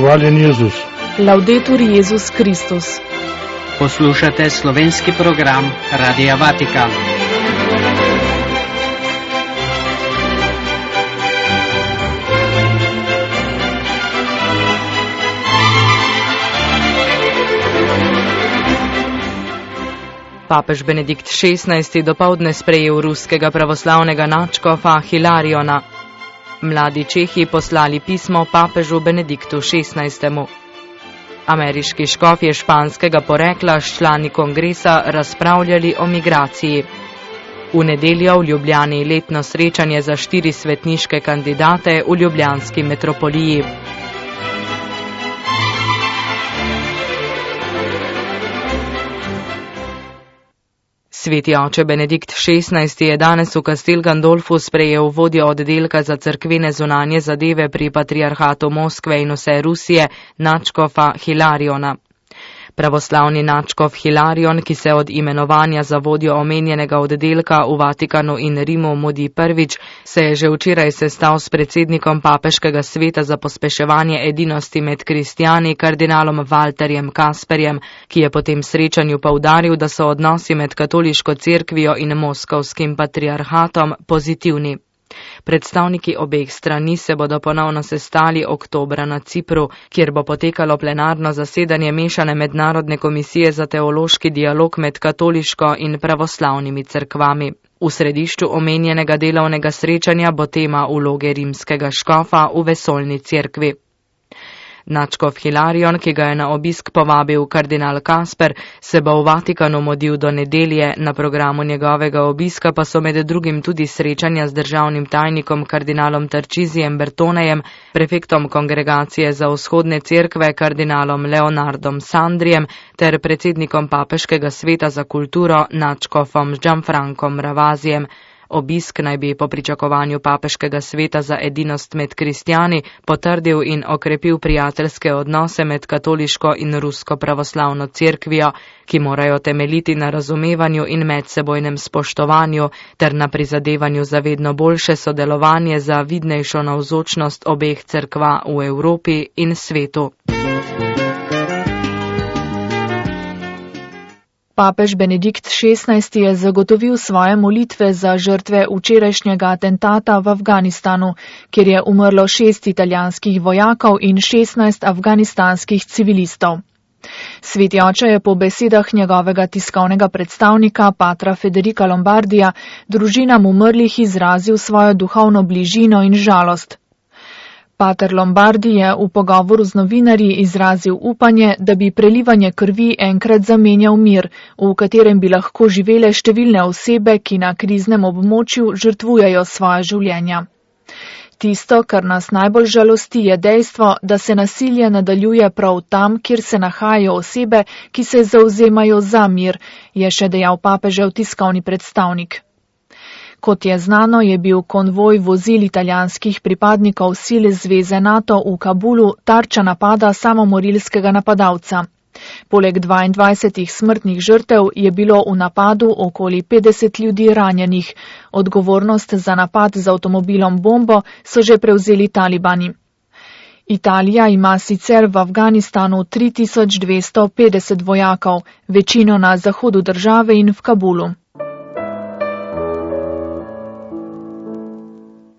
Hvaljen Jezus. Laudetur Jezus Kristus. Poslušate slovenski program Radia Vatikan. Papež Benedikt XVI dopoldne sprejel ruskega pravoslavnega nadškofa Hilariona. Mladi Čehi poslali pismo papežu Benediktu XVI. Ameriški škofje španskega porekla s člani kongresa razpravljali o migraciji. V nedeljo v Ljubljani letno srečanje za 4 svetniške kandidate v ljubljanski metropoliji. Sveti oče Benedikt XVI je danes v Castel Gandolfu sprejel vodjo oddelka za cerkvene zunanje zadeve pri Patriarhatu Moskve in vse Rusije, nadškofa Hilariona. Pravoslavni nadškof Hilarion, ki se od imenovanja za vodjo omenjenega oddelka v Vatikanu in Rimu mudi prvič, se je že včeraj sestal s predsednikom Papeškega sveta za pospeševanje edinosti med kristjani, kardinalom Walterjem Kasperjem, ki je po tem srečanju poudaril, da so odnosi med katoliško cerkvijo in moskovskim patriarhatom pozitivni. Predstavniki obeh strani se bodo ponovno sestali oktobra na Cipru, kjer bo potekalo plenarno zasedanje mešane mednarodne komisije za teološki dialog med katoliško in pravoslavnimi cerkvami. V središču omenjenega delovnega srečanja bo tema vloge rimskega škofa v vesoljni cerkvi. Nadškof Hilarion, ki ga je na obisk povabil kardinal Kasper, se bo v Vatikanu mudil do nedelje, na programu njegovega obiska pa so med drugim tudi srečanja z državnim tajnikom kardinalom Tarčizijem Bertonejem, prefektom kongregacije za vzhodne cerkve kardinalom Leonardom Sandrijem ter predsednikom Papeškega sveta za kulturo nadškofom Gianfrancom Ravazijem. Obisk naj bi po pričakovanju Papeškega sveta za edinost med kristjani potrdil in okrepil prijateljske odnose med katoliško in rusko pravoslavno cerkvijo, ki morajo temeljiti na razumevanju in medsebojnem spoštovanju ter na prizadevanju za vedno boljše sodelovanje za vidnejšo navzočnost obeh cerkva v Evropi in svetu. Papež Benedikt XVI je zagotovil svoje molitve za žrtve včerajšnjega atentata v Afganistanu, kjer je umrlo 6 italijanskih vojakov in 16 afganistanskih civilistov. Sveti oče je po besedah njegovega tiskovnega predstavnika, patra Federica Lombardija, družinam umrlih izrazil svojo duhovno bližino in žalost. Pater Lombardi je v pogovoru z novinarji izrazil upanje, da bi prelivanje krvi enkrat zamenjal mir, v katerem bi lahko živele številne osebe, ki na kriznem območju žrtvujejo svoja življenja. Tisto, kar nas najbolj žalosti, je dejstvo, da se nasilje nadaljuje prav tam, kjer se nahajajo osebe, ki se zavzemajo za mir, je še dejal papežev tiskovni predstavnik. Kot je znano, je bil konvoj vozil italijanskih pripadnikov sil zveze NATO v Kabulu tarča napada samomorilskega napadalca. Poleg 22 smrtnih žrtev je bilo v napadu okoli 50 ljudi ranjenih. Odgovornost za napad z avtomobilom bombo so že prevzeli talibani. Italija ima sicer v Afganistanu 3250 vojakov, večino na zahodu države in v Kabulu.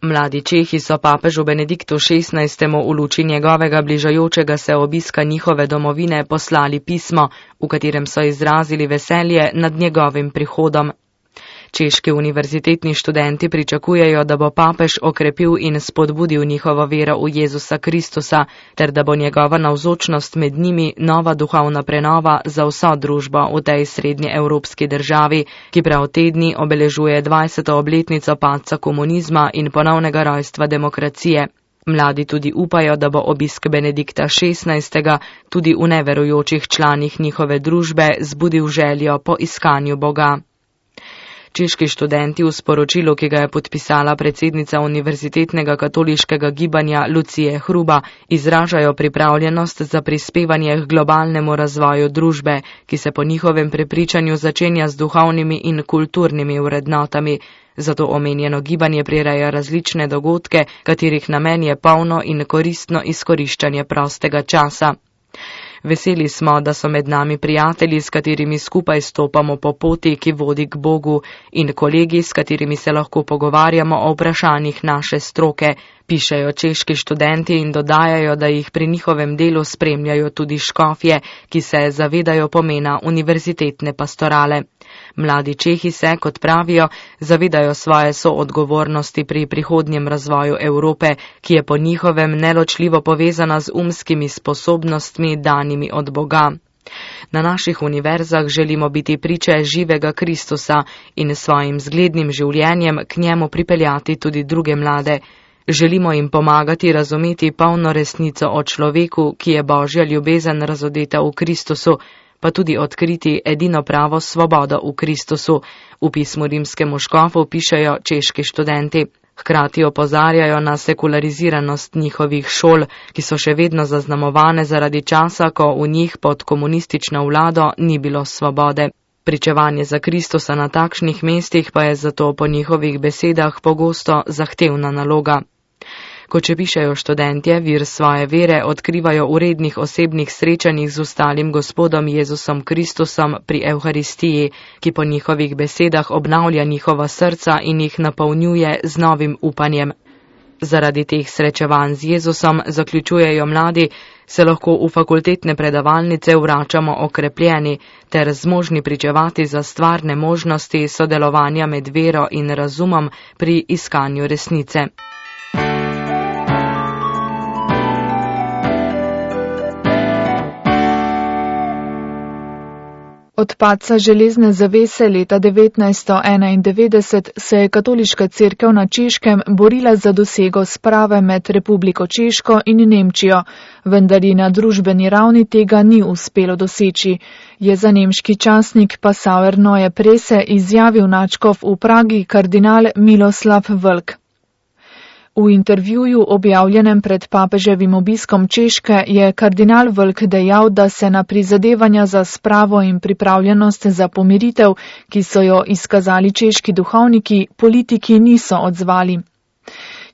Mladi Čehi so papežu Benediktu XVI v luči njegovega bližajočega se obiska njihove domovine poslali pismo, v katerem so izrazili veselje nad njegovim prihodom. Češki univerzitetni študenti pričakujejo, da bo papež okrepil in spodbudil njihovo vero v Jezusa Kristusa, ter da bo njegova navzočnost med njimi nova duhovna prenova za vso družbo v tej srednjeevropski državi, ki prav te dni obeležuje 20. obletnico padca komunizma in ponovnega rojstva demokracije. Mladi tudi upajo, da bo obisk Benedikta XVI tudi v neverujočih članih njihove družbe zbudil željo po iskanju Boga. Češki študenti v sporočilu, ki ga je podpisala predsednica Univerzitetnega katoliškega gibanja Lucije Hruba, izražajo pripravljenost za prispevanje k globalnemu razvoju družbe, ki se po njihovem prepričanju začenja z duhovnimi in kulturnimi vrednotami. zato omenjeno gibanje prireja različne dogodke, katerih namen je polno in koristno izkoriščanje prostega časa. Veseli smo, da so med nami prijatelji, s katerimi skupaj stopamo po poti, ki vodi k Bogu, in kolegi, s katerimi se lahko pogovarjamo o vprašanjih naše stroke, pišejo češki študenti in dodajajo, da jih pri njihovem delu spremljajo tudi škofje, ki se zavedajo pomena univerzitetne pastorale. Mladi Čehi se, kot pravijo, zavedajo svoje soodgovornosti pri prihodnjem razvoju Evrope, ki je po njihovem neločljivo povezana z umskimi sposobnostmi danimi od Boga. Na naših univerzah želimo biti priče živega Kristusa in svojim zglednim življenjem k njemu pripeljati tudi druge mlade. Želimo jim pomagati razumeti polno resnico o človeku, ki je Božja ljubezen razodeta v Kristusu, pa tudi odkriti edino pravo svobodo v Kristusu, v pismu rimskemu škofu pišejo češki študenti. Hkrati opozarjajo na sekulariziranost njihovih šol, ki so še vedno zaznamovane zaradi časa, ko v njih pod komunistično vlado ni bilo svobode. Pričevanje za Kristusa na takšnih mestih pa je zato po njihovih besedah pogosto zahtevna naloga. Kot še pišejo študentje, vir svoje vere odkrivajo v rednih osebnih srečanjih z ostalim Gospodom Jezusom Kristusom pri Evharistiji, ki po njihovih besedah obnavlja njihova srca in jih napolnjuje z novim upanjem. Zaradi teh srečevanj z Jezusom, zaključujejo mladi, se lahko v fakultetne predavalnice vračamo okrepljeni ter zmožni pričevati za stvarne možnosti sodelovanja med vero in razumom pri iskanju resnice. Od padca železne zavese leta 1991 se je katoliška cerkev na Češkem borila za dosego sprave med Republiko Češko in Nemčijo, vendar ji na družbeni ravni tega ni uspelo doseči, je za nemški časnik Passauer Neue Presse izjavil nadškof v Pragi kardinal Miloslav Vlk. V intervjuju objavljenem pred papeževim obiskom Češke je kardinal Vlk dejal, da se na prizadevanja za spravo in pripravljenost za pomiritev, ki so jo izkazali češki duhovniki, politiki niso odzvali.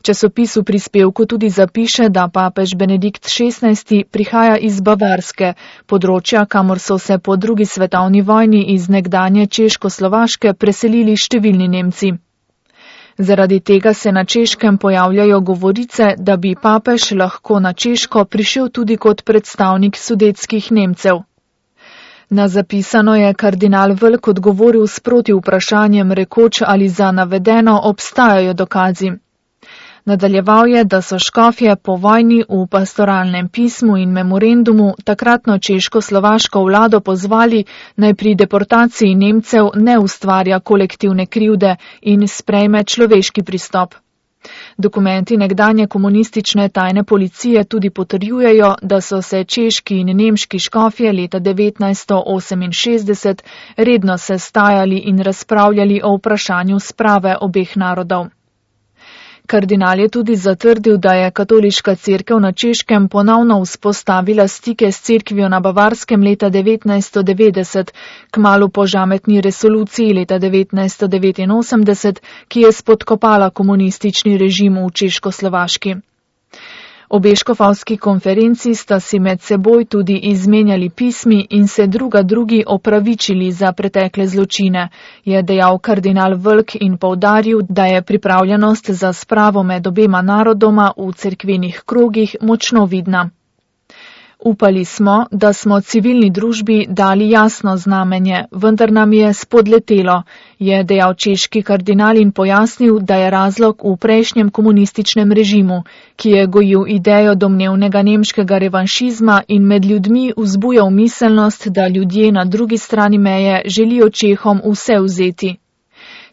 Časopis v prispevku tudi zapiše, da papež Benedikt XVI prihaja iz Bavarske, področja, kamor so se po drugi svetovni vojni iz nekdanje Češko-Slovaške preselili številni Nemci. Zaradi tega se na Češkem pojavljajo govorice, da bi papež lahko na Češko prišel tudi kot predstavnik sudetskih Nemcev. Na zapisano je kardinal Vlk odgovoril s proti vprašanjem rekoč, ali za navedeno obstajajo dokazi. Nadaljeval je, da so škofje po vojni v pastoralnem pismu in memorandumu takratno češko-slovaško vlado pozvali, naj pri deportaciji Nemcev ne ustvarja kolektivne krivde in sprejme človeški pristop. Dokumenti nekdanje komunistične tajne policije tudi potrjujejo, da so se češki in nemški škofje leta 1968 redno sestajali in razpravljali o vprašanju sprave obeh narodov. Kardinal je tudi zatrdil, da je katoliška cerkev na Češkem ponovno vzpostavila stike s cerkvijo na Bavarskem leta 1990, kmalu po žametni resoluciji leta 1989, ki je spodkopala komunistični režim v Češko-Slovaški. Obe škofovski konferenci sta si med seboj tudi izmenjali pismi in se drugi opravičili za pretekle zločine, je dejal kardinal Vlk in poudaril, da je pripravljenost za spravo med obema narodoma v cerkvenih krogih močno vidna. Upali smo, da smo civilni družbi dali jasno znamenje, vendar nam je spodletelo, je dejal češki kardinal in pojasnil, da je razlog v prejšnjem komunističnem režimu, ki je gojil idejo domnevnega nemškega revanšizma in med ljudmi vzbujal miselnost, da ljudje na drugi strani meje želijo Čehom vse vzeti.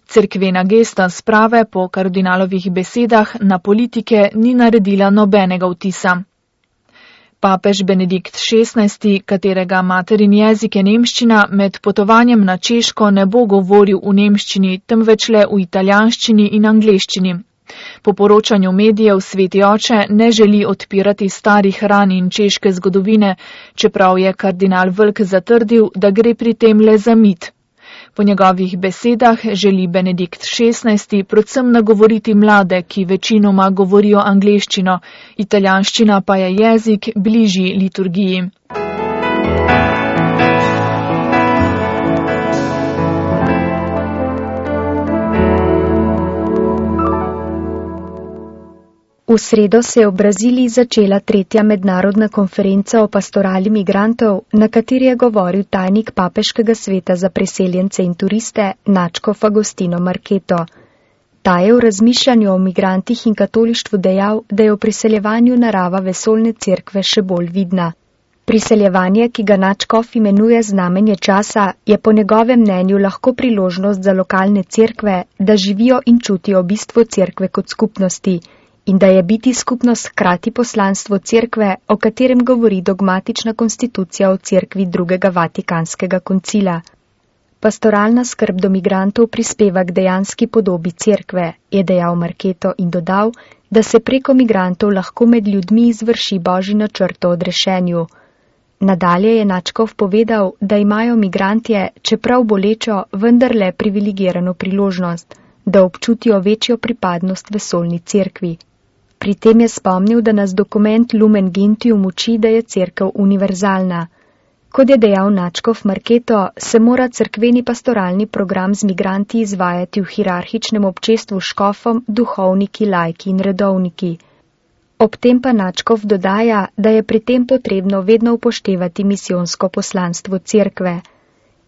Cerkvena gesta sprave po kardinalovih besedah na politike ni naredila nobenega vtisa. Papež Benedikt XVI, katerega materin jezik je nemščina, med potovanjem na Češko ne bo govoril v nemščini, temveč le v italijanščini in angleščini. Po poročanju medijev Sveti oče ne želi odpirati starih ran in češke zgodovine, čeprav je kardinal Vlk zatrdil, da gre pri tem le za mit. Po njegovih besedah želi Benedikt XVI predvsem nagovoriti mlade, ki večinoma govorijo angleščino, italijanščina pa je jezik bližji liturgiji. V sredo se je v Braziliji začela 3. mednarodna konferenca o pastorali migrantov, na kateri je govoril tajnik Papeškega sveta za priseljence in turiste nadškof Agostino Marketo. Ta je v razmišljanju o migrantih in katolištvu dejal, da je v priseljevanju narava vesoljne cerkve še bolj vidna. Priseljevanje, ki ga nadškof imenuje znamenje časa, je po njegovem mnenju lahko priložnost za lokalne cerkve, da živijo in čutijo bistvo cerkve kot skupnosti, in da je biti skupnost hkrati poslanstvo cerkve, o katerem govori dogmatična konstitucija o cerkvi drugega Vatikanskega koncila. Pastoralna skrb do migrantov prispeva k dejanski podobi cerkve, je dejal Marketo in dodal, da se preko migrantov lahko med ljudmi izvrši božji načrt o odrešenju. Nadalje je nadškof povedal, da imajo migrantje, čeprav bolečo, vendarle privilegirano priložnost, da občutijo večjo pripadnost vesoljni cerkvi. Pri tem je spomnil, da nas dokument Lumen Gentium uči, da je cerkev univerzalna. Kot je dejal nadškof Marketo, se mora cerkveni pastoralni program z migranti izvajati v hierarhičnem občestvu s škofom, duhovniki, laiki in redovniki. Ob tem pa nadškof dodaja, da je pri tem potrebno vedno upoštevati misijonsko poslanstvo cerkve.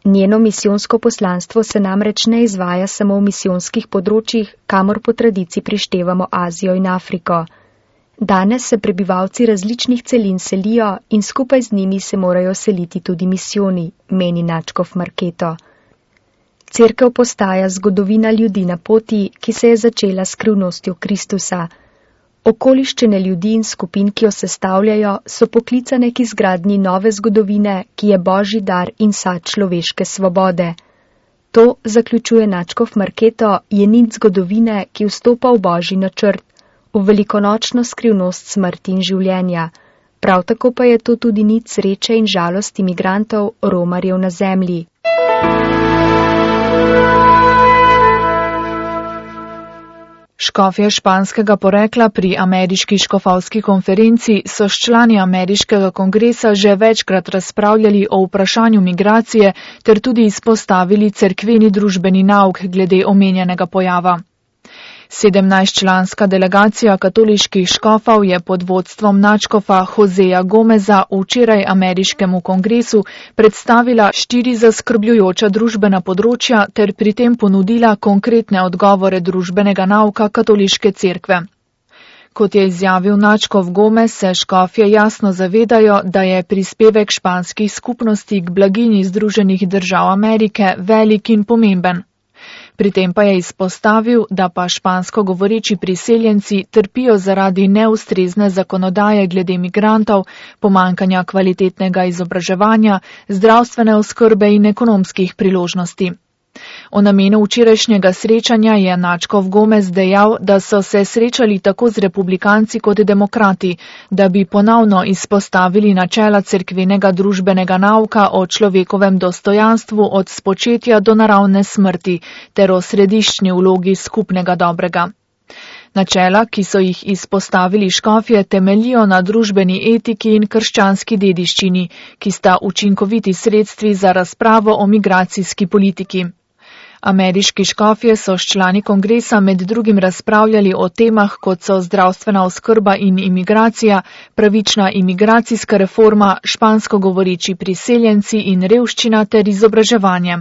Njeno misijonsko poslanstvo se namreč ne izvaja samo v misijonskih področjih, kamor po tradiciji prištevamo Azijo in Afriko. Danes se prebivalci različnih celin selijo in skupaj z njimi se morajo seliti tudi misijoni, meni nadškof Marketo. Cerkev postaja zgodovina ljudi na poti, ki se je začela s skrivnostjo Kristusa. Okoliščine ljudi in skupin, ki jo sestavljajo, so poklicane k izgradnji nove zgodovine, ki je božji dar in sad človeške svobode. To, zaključuje nadškof Marketo, je nit zgodovine, ki vstopa v božji načrt, v velikonočno skrivnost smrti in življenja. Prav tako pa je to tudi nit sreče in žalosti migrantov, romarjev na zemlji. Škofje španskega porekla pri ameriški škofovski konferenci so s člani ameriškega kongresa že večkrat razpravljali o vprašanju migracije ter tudi izpostavili cerkveni družbeni nauk glede omenjenega pojava. 17-članska delegacija katoliških škofov je pod vodstvom nadškofa Joseja Gomeza včeraj ameriškemu kongresu predstavila 4 zaskrbljujoča družbena področja ter pri tem ponudila konkretne odgovore družbenega nauka katoliške cerkve. Kot je izjavil nadškof Gomez, se škofje jasno zavedajo, da je prispevek španskih skupnosti k blaginji Združenih držav Amerike velik in pomemben. Pri tem pa je izpostavil, da pa špansko govoreči priseljenci trpijo zaradi neustrezne zakonodaje glede migrantov, pomankanja kvalitetnega izobraževanja, zdravstvene oskrbe in ekonomskih priložnosti. O namenu včerajšnjega srečanja je nadškof Gomez dejal, da so se srečali tako z republikanci kot demokrati, da bi ponovno izpostavili načela cerkvenega družbenega nauka o človekovem dostojanstvu od spočetja do naravne smrti ter o središčni vlogi skupnega dobrega. Načela, ki so jih izpostavili škofje, temeljijo na družbeni etiki in krščanski dediščini, ki sta učinkoviti sredstvi za razpravo o migracijski politiki. Ameriški škofje so s člani kongresa med drugim razpravljali o temah, kot so zdravstvena oskrba in imigracija, pravična imigracijska reforma, špansko govoreči priseljenci in revščina ter izobraževanje.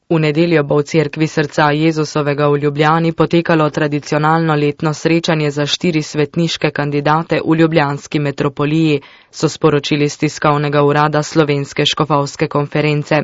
V nedeljo bo v cerkvi srca Jezusovega v Ljubljani potekalo tradicionalno letno srečanje za 4 svetniške kandidate v ljubljanski metropoliji, so sporočili z tiskovnega urada Slovenske škofovske konference.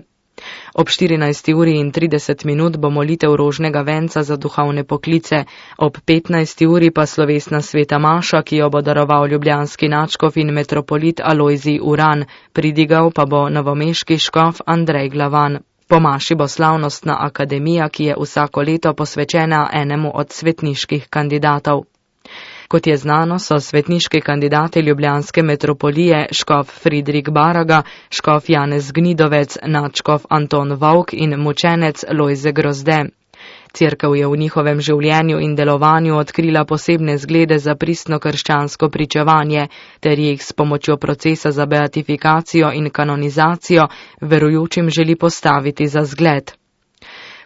Ob 14:30 bo molitev rožnega venca za duhovne poklice, ob 15. pa slovesna sveta maša, ki jo bo daroval ljubljanski nadškof in metropolit Alojzij Uran, pridigal pa bo novomeški škof Andrej Glavan. Po maši bo slavnostna akademija, ki je vsako leto posvečena enemu od svetniških kandidatov. Kot je znano, so svetniški kandidati ljubljanske metropolije škof Fridrik Baraga, škof Janez Gnidovec, nadškof Anton Vovk in mučenec Lojze Grozde. Cerkev je v njihovem življenju in delovanju odkrila posebne zglede za pristno krščansko pričevanje, ter jih s pomočjo procesa za beatifikacijo in kanonizacijo verujočim želi postaviti za zgled.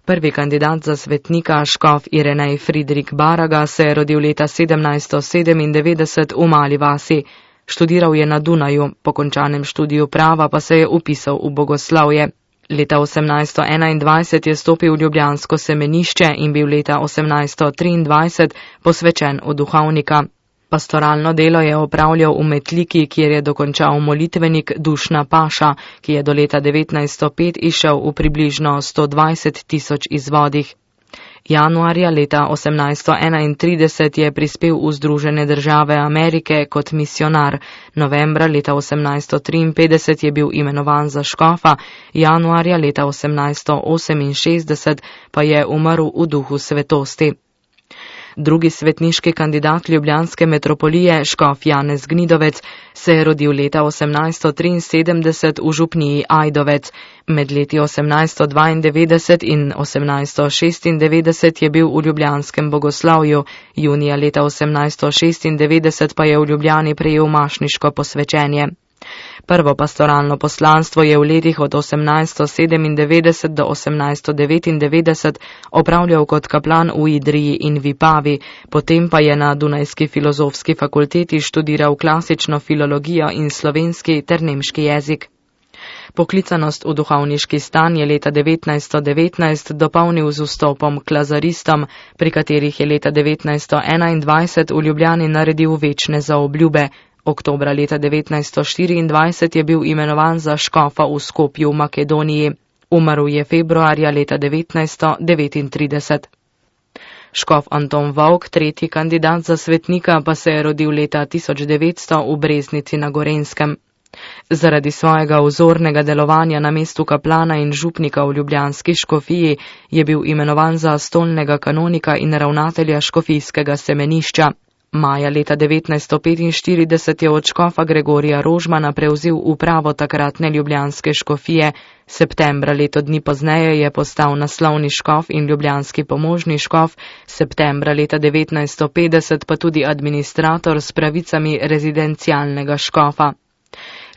Prvi kandidat za svetnika, škof Irenej Fridrik Baraga, se je rodil leta 1797 v Mali vasi. Študiral je na Dunaju, po končanem študiju prava pa se je vpisal v bogoslovje. Leta 1821 je stopil v ljubljansko semenišče in bil leta 1823 posvečen v duhovnika. Pastoralno delo je opravljal v Metliki, kjer je dokončal molitvenik Dušna Paša, ki je do leta 1905 išel v približno 120.000 izvodih. Januarja leta 1831 je prispel v Združene države Amerike kot misionar. Novembra leta 1853 je bil imenovan za škofa, januarja leta 1868 pa je umrl v duhu svetosti. Drugi svetniški kandidat ljubljanske metropolije, škof Janez Gnidovec, se je rodil leta 1873 v župniji Ajdovec. Med leti 1892 in 1896 je bil v ljubljanskem bogoslovju, junija leta 1896 pa je v Ljubljani prejel mašniško posvečenje. Prvo pastoralno poslanstvo je v letih od 1897 do 1899 opravljal kot kaplan v Idriji in Vipavi, potem pa je na Dunajski filozofski fakulteti študiral klasično filologijo in slovenski ter nemški jezik. Poklicanost v duhovniški stan je leta 1919 dopolnil z vstopom k lazaristom, pri katerih je leta 1921 v Ljubljani naredil večne zaobljube. Oktobra leta 1924 je bil imenovan za škofa v Skopju v Makedoniji. Umrl je februarja leta 1939. Škof Anton Vovk, tretji kandidat za svetnika, pa se je rodil leta 1900 v Breznici na Gorenjskem. Zaradi svojega vzornega delovanja na mestu kaplana in župnika v ljubljanski škofiji je bil imenovan za stolnega kanonika in ravnatelja škofijskega semenišča. Maja leta 1945 je od škofa Gregorija Rožmana prevzel upravo takratne ljubljanske škofije, septembra leto dni pozneje je postal naslovni škof in ljubljanski pomožni škof, septembra leta 1950 pa tudi administrator s pravicami rezidencialnega škofa.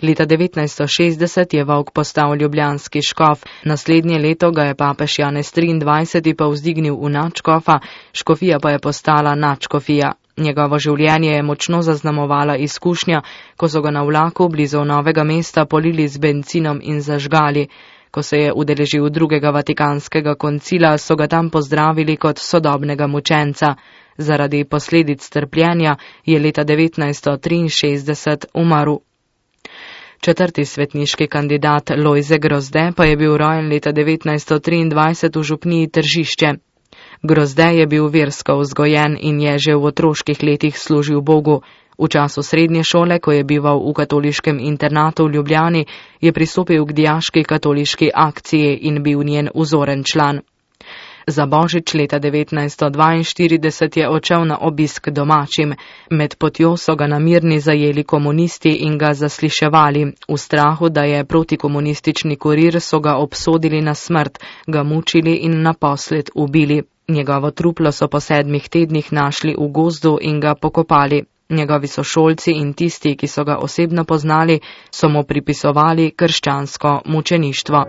Leta 1960 je Vovk postal ljubljanski škof, naslednje leto ga je papež Janez XXIII povzdignil v nadškofa, škofija pa je postala nadškofija. Njegovo življenje je močno zaznamovala izkušnja, ko so ga na vlaku blizu Novega mesta polili z bencinom in zažgali. Ko se je udeležil drugega vatikanskega koncila, so ga tam pozdravili kot sodobnega mučenca. Zaradi posledic trpljenja je leta 1963 umrl. Četrti svetniški kandidat Lojze Grozde pa je bil rojen leta 1923 v župniji Tržišče. Grozde je bil versko vzgojen in je že v otroških letih služil Bogu. V času srednje šole, ko je bival v katoliškem internatu v Ljubljani, je pristopil k dijaški katoliški akciji in bil njen vzoren član. Za božič leta 1942 je odšel na obisk domačim. Med potjo so ga na Mirni zajeli komunisti in ga zasliševali. V strahu, da je protikomunistični kurir, so ga obsodili na smrt, ga mučili in naposled ubili. Njegovo truplo so po 7 tednih našli v gozdu in ga pokopali. Njegovi sošolci in tisti, ki so ga osebno poznali, so mu pripisovali krščansko mučeništvo.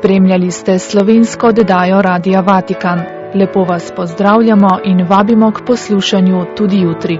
Spremljali ste slovensko oddajo Radia Vatikan. Lepo vas pozdravljamo in vabimo k poslušanju tudi jutri.